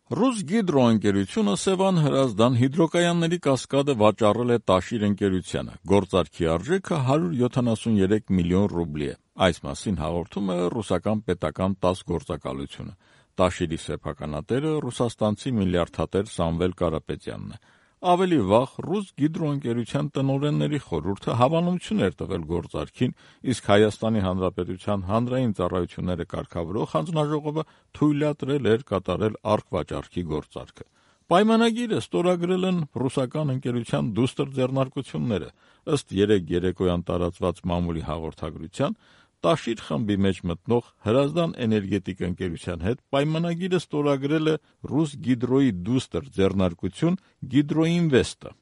Ռուսգիդրո ընկերությունը Սևան Հրազդան հիդրոկայանների կասկադը վաճառել է Տաշիր ընկերությանը, գործարքի արժեքը 173 միլիոն ռուբլի է, այս մասին հաղորդում է ռուսական պետական ՏԱՍՍ գործակալությունը, Տաշիրի սեփականատերը ռուսաստանցի միլիարդատեր Սամվել Կարապետյանն է, ավելի վաղ Ռուսգիդրո ընկերության տնօրենների խորհուրդը հավանություն էր տվել գործարքին, իսկ Հայաստանի Հանրապետության հանրային ծառայությունները կարգավորող հանձնաժողովը թույլատրել էր կատարել առքվաճառքի գործարքը։ Պայմանագիրը ստորագրել են ռուսական ընկերության դուստր ձեռնարկությունները, ըստ երեկ երեկոյան տարածված մամուլի հաղորդագրության, Տաշիր խմբի մեջ մտնող Հրազդան էներգետիկ ընկերության հետ պայմանագիրը ստորագրել է Ռուսգիդրոյի դուստր ձեռնարկություն Գիդրոինվեստը։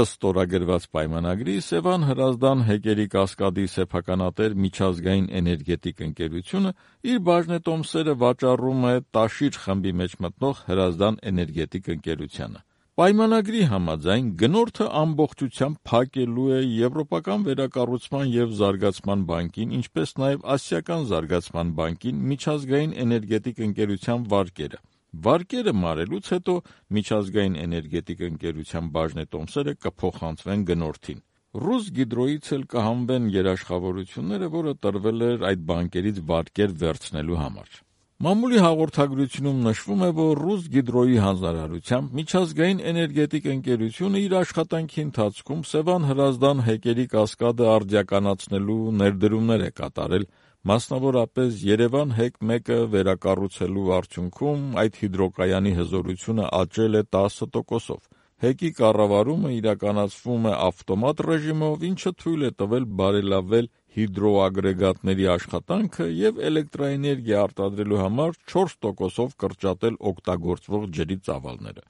Ըստ ստորագրված պայմանագրի Սևան Հրազդան հեկերի կասկադի սեփականատեր միջազգային էներգետիկ ընկերությունը իր բաժնետոմսերը վաճառում է Տաշիր խմբի մեջ մտնող Հրազդան էներգետիկ ընկերությանը։ Պայմանագրի համաձայն գնորդը ամբողջությամբ փակելու է Եվրոպական վերակառուցման և զարգացման բանկին, ինչպես նաև Ասիական զարգացման բանկին միջազգային էներգետիկ ընկերության վարկերը։ Վարկերը մարելուց հետո միջազգային էներգետիկ ընկերության բաժնետոմսերը կփոխանցվեն գնորդին։ Ռուսգիդրոյից էլ կհանվեն երաշխավորությունները, որը տրվել էր այդ բանկերից վարկեր վերցնելու համար։ Մամուլի հաղորդագրությունում նշվում է, որ Ռուսգիդրոյի հանձնարարությամբ միջազգային էներգետիկ ընկերությունը իր աշխատանքի ընթացքում Սևան Հրազդան հեկերի կասկադը արդիականացնելու ներդրումներ է կատարել, մասնավորապես Երևան հեկ 1-ը վերակառուցելու արդյունքում այդ հիդրոկայանի հզորությունը աճել է 10%-ով։ Հեկի կառավարումը իրականացվում է ավտոմատ ռեժիմով, ինչը թույլ է տվել բարելավել հիդրոագրեգատների աշխատանքը և էլեկտրաէներգիա արտադրելու համար 4%-ով կրճատել օգտագործվող ջրի ծավալները։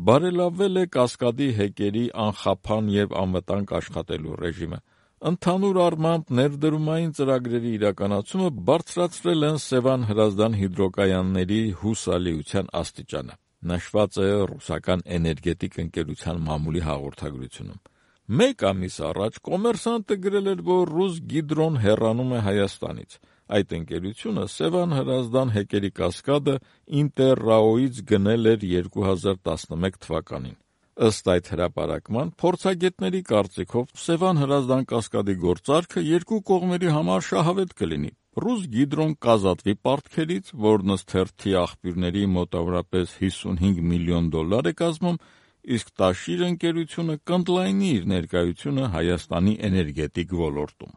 Բարելավվել է կասկադի հեկերի անխափան և անվտանգ աշխատելու ռեժիմը։ Ընդհանուր առմամբ ներդրումային ծրագրերի իրականացումը բարձրացրել են Սևան Հրազդան հիդրոկայանների հուսալիության աստիճանը, նշված է ռուսական էներգետիկ ընկերության մամուլի հաղորդագրությունում։ Մեկ ամիս առաջ «Կոմերսանտը» գրել էր, որ Ռուսգիդրոն հեռանում է Հայաստանից։ Այդ ընկերությունը Սևան Հրազդան հեկերի կասկադը Ինտերրաոյից գնել էր 2011 թվականին։ Ըստ այդ հրապարակման, փորձագետների կարծիքով Սևան Հրազդան կասկադի գործարքը երկու կողմերի համար շահավետ կլինի։ Ռուսգիդրոն կազատվի պարտքերից, որն ըստ թերթի աղբյուրների մոտավորապես $55 միլիոն է կազմում, իսկ Տաշիր ընկերությունը կընդլայնի իր ներկայությունը Հայաստանի էներգետիկ ոլորտում։